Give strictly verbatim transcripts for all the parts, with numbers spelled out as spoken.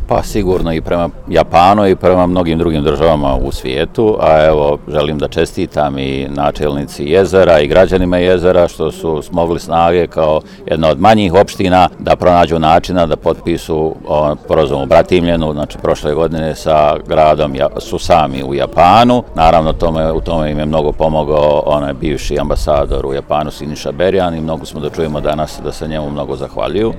Pa sigurno i prema Japanu i prema mnogim drugim državama u svijetu, a evo želim da čestitam i načelnici Jezera i građanima Jezera što su smogli snage kao jedna od manjih opština da pronađu načina da potpisu sporazum u Bratimljenu, znači prošle godine sa gradom Susami u Japanu. Naravno tome, u tome im je mnogo pomogao onaj bivši ambasador u Japanu Siniša Berjan i mnogo smo da čujemo danas da se njemu mnogo zahvaljuju.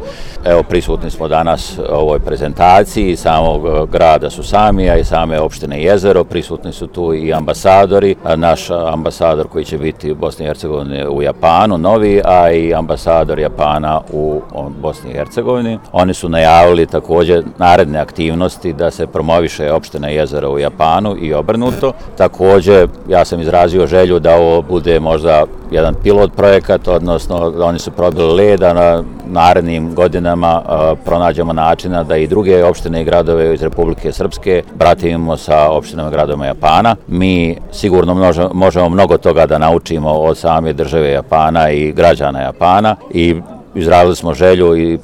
Evo prisutni smo danas u ovoj prezentaciji samog grada Susamija i same opštine Jezero, prisutni su tu i ambasadori, naš ambasador koji će biti u Bosni i Hercegovini u Japanu, novi, a i ambasador Japana u Bosni i Hercegovini. Oni su najavili također naredne aktivnosti da se promoviše opština Jezero u Japanu i obrnuto. Također ja sam izrazio želju da ovo bude možda jedan pilot projekat, odnosno oni su probili led, a na narednim godinama a, pronađemo načina da i druge opštine i gradove iz Republike Srpske bratimimo sa opštinama i gradovima Japana. Mi sigurno množe, možemo mnogo toga da naučimo od same države Japana i građana Japana i izrazili smo želju i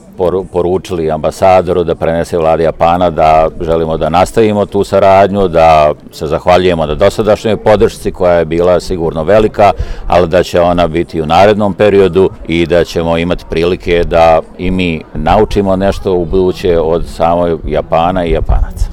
poručili ambasadoru da prenese vladi Japana da želimo da nastavimo tu saradnju, da se zahvaljujemo na dosadašnjoj podršci koja je bila sigurno velika, ali da će ona biti u narednom periodu i da ćemo imati prilike da i mi naučimo nešto u buduće od samog Japana i Japanaca.